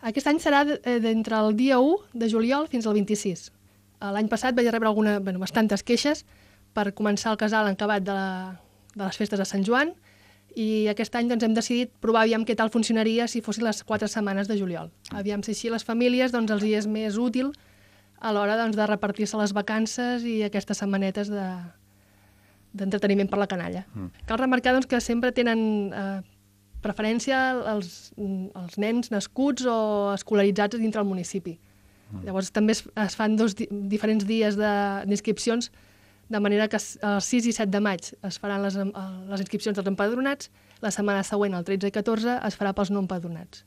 Aquest any serà d'entre el dia 1 de juliol fins al 26. L'any passat vaig rebre bastantes queixes per començar el casal en acabat de les festes de Sant Joan, i aquest any hem decidit provar aviam què tal funcionaria si fossin les 4 setmanes de juliol. Aviam si així les famílies els hi és més útil a l'hora de repartir-se les vacances i aquestes setmanetes d'entreteniment per la canalla. Cal remarcar que sempre tenen preferència els nens nascuts o escolaritzats dintre el municipi. Llavors també es fan diferents dies d'inscripcions, de manera que el 6 i 7 de maig es faran les inscripcions dels empadronats, la setmana següent, el 13 i 14, es farà pels no empadronats.